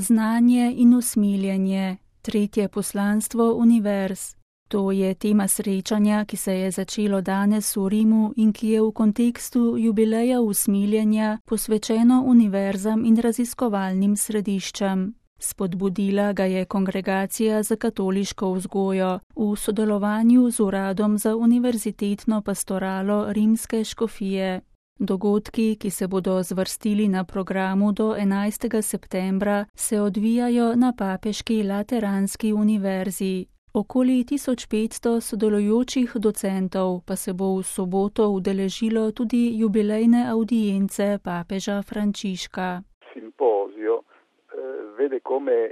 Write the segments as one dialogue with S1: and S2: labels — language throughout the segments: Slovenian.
S1: Znanje in usmiljenje, tretje poslanstvo univerz. To je tema srečanja, ki se je začelo danes v Rimu in ki je v kontekstu jubileja usmiljenja posvečeno univerzam in raziskovalnim središčem. Spodbudila ga je Kongregacija za katoliško vzgojo v sodelovanju z Uradom za univerzitetno pastoralo Rimske škofije. Dogodki, ki se bodo zvrstili na programu do 11. septembra, se odvijajo na Papeški Lateranski univerzi. Okoli 1500 sodelujočih docentov pa se bo v soboto udeležilo tudi jubilejne audience papeža Frančiška.
S2: Simposio vede come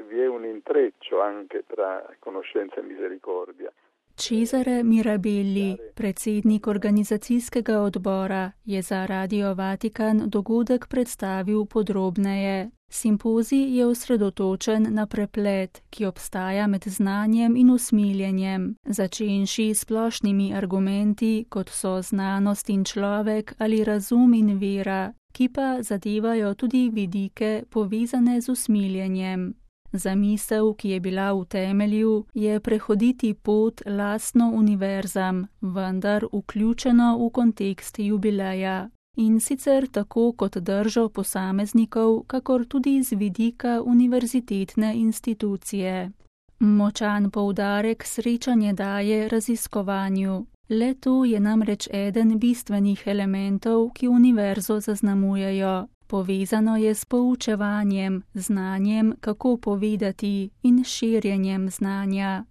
S2: vi è un intreccio anche tra conoscenza e misericordia.
S1: Cesare Mirabelli, predsednik organizacijskega odbora, je za Radio Vatikan dogodek predstavil podrobneje. Simpozij je osredotočen na preplet, ki obstaja med znanjem in usmiljenjem, začenši s splošnimi argumenti, kot so znanost in človek ali razum in vera, ki pa zadevajo tudi vidike povezane z usmiljenjem. Zamisel, ki je bila v temelju, je prehoditi pot lastno univerzam, vendar vključeno v kontekst jubileja. In sicer tako kot držo posameznikov, kakor tudi z vidika univerzitetne institucije. Močan poudarek srečanje daje raziskovanju. Le to je namreč eden bistvenih elementov, ki univerzo zaznamujejo. Povezano je s poučevanjem, znanjem, kako povedati in širjenjem znanja.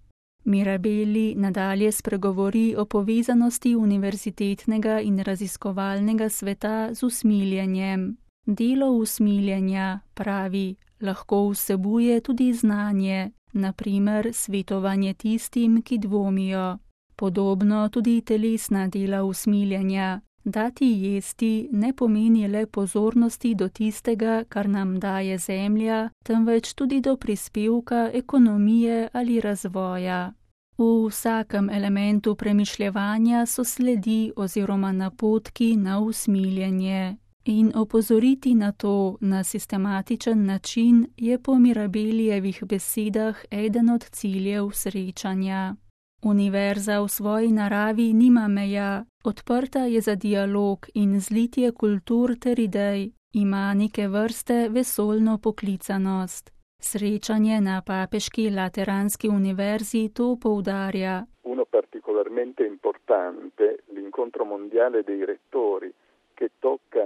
S1: Mirabelli nadalje spregovori o povezanosti univerzitetnega in raziskovalnega sveta z usmiljenjem. Delo usmiljenja, pravi, lahko vsebuje tudi znanje, na primer svetovanje tistim, ki dvomijo. Podobno tudi telesna dela usmiljenja. Dati jesti ne pomeni le pozornosti do tistega, kar nam daje zemlja, temveč tudi do prispevka ekonomije ali razvoja. V vsakem elementu premišljevanja so sledi oziroma napotki na usmiljenje. In opozoriti na to na sistematičen način je po Mirabelijevih besedah eden od ciljev srečanja. Univerza v svoji naravi nima meja, odprta je za dialog in zlitje kultur ter idej, ima neke vrste vesoljno poklicanost. Srečanje na Papeški Lateranski univerzi to poudarja.
S2: Uno particolarmente importante, l'incontro mondiale dei rettori, che tocca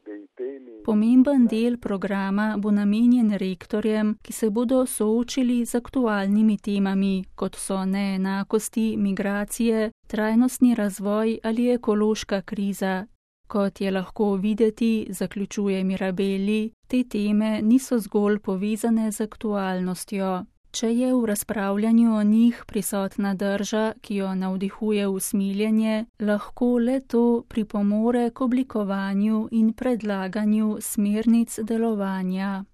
S2: dei temi.
S1: Pomemben del programa bo namenjen rektorjem, ki se bodo soočili z aktualnimi temami, kot so neenakosti, migracije, trajnostni razvoj ali ekološka kriza. Kot je lahko videti, zaključuje Mirabelli, te teme niso zgolj povezane z aktualnostjo. Če je v razpravljanju o njih prisotna drža, ki jo navdihuje usmiljenje, lahko le to pripomore k oblikovanju in predlaganju smernic delovanja.